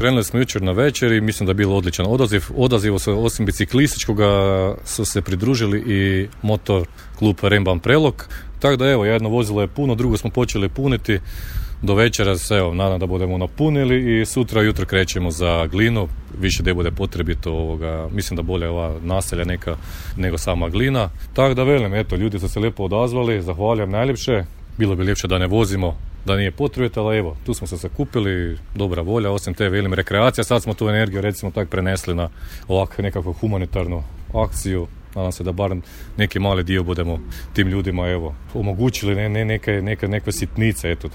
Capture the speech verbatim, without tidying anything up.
krenuli smo jučer na večer i mislim da je bilo odličan odaziv. Odazivo se osim biciklističkoga su se pridružili i motor klub Remban Prelog. Tako da evo, jedno vozilo je puno, drugo smo počeli puniti. Do večera se, evo, nadam da budemo napunili i sutra jutro krećemo za Glinu. Više gdje bude potrebito, ovoga, mislim da bolje ova naselja neka nego sama Glina. Tako da velim, eto, ljudi su se lijepo odazvali, zahvaljujem najljepše. Bilo bi ljepše da ne vozimo, da nije potrebito, ali evo, tu smo se sakupili, dobra volja, osim te velim rekreacija, sad smo tu energiju recimo tak prenesli na ovakvu nekakvu humanitarnu akciju. Nadam se da barem neki mali dio budemo tim ljudima evo omogućili ne, ne, neke, neke, neke sitnice, eto.